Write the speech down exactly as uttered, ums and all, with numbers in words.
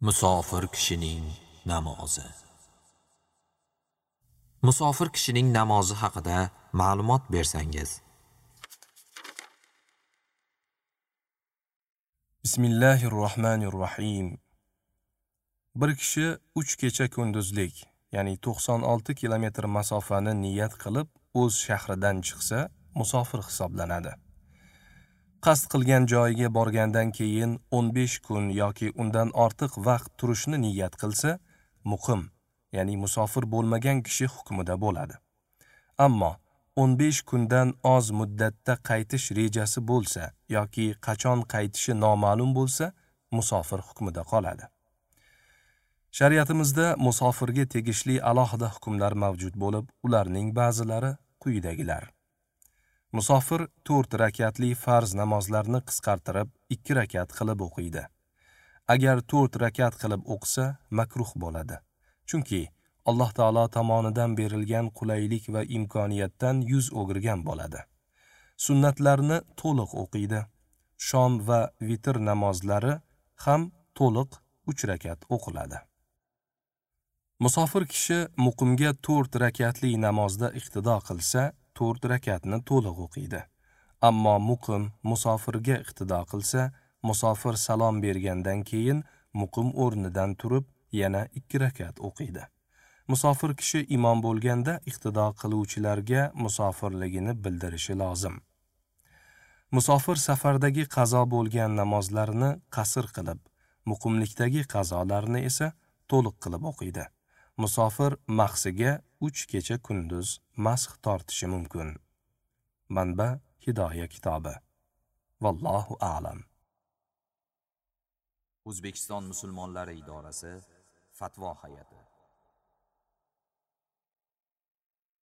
Musofir kishining namozi. Musofir kishining namozi haqida ma'lumot bersangiz. Bismillahirrohmanirrohim. Bir kishi uch kecha kunduzlik, ya'ni to'qson olti kilometr masofani niyat qilib o'z shahridan chiqsa, musofir hisoblanadi. Qasd qilgan joyiga borgandan keyin o'n besh kun yoki undan ortiq vaqt turishni niyat qilsa, muqim, ya'ni musofir bo'lmagan kishi hukmida bo'ladi. Ammo o'n besh kundan oz muddatda qaytish rejasi bo'lsa yoki qachon qaytishi noma'lum bo'lsa, musofir hukmida qoladi. Shariatimizda musofirga tegishli alohida hukmlar mavjud bo'lib, ularning ba'zilari quyidagilar. Musofir to'rt rakatli farz namozlarni qisqartirib ikki rakat qilib o'qiydi. Agar to'rt rakat qilib o'qisa, makruh bo'ladi. Chunki Alloh taolo tomonidan berilgan qulaylik va imkoniyatdan yuz o'girgan bo'ladi. Sunnatlarni to'liq o'qiydi. Shom va vitr namozlari ham to'liq uch rakat o'qiladi. Musofir kishi muqimga to'rt rakatli namozda iqtido qilsa, to'rt rakatni to'liq o'qiydi. Ammo muqim musofirga iqtido qilsa, musofir salom bergandan keyin muqim o'rnidan turib yana ikki rakat o'qiydi. Musofir kishi imom bo'lganda iqtido qiluvchilarga musofirligini bildirishi lozim. Musofir safardagi qazo bo'lgan namozlarni qasr qilib, muqimlikdagi qazolarni esa to'liq qilib o'qiydi. Musofir mahsiga uch kecha kunduz masx tortishi mumkin. Manba: Hidoya kitobi. Vallohu a'lam. O'zbekiston musulmonlari idorasi Fatvo hay'ati.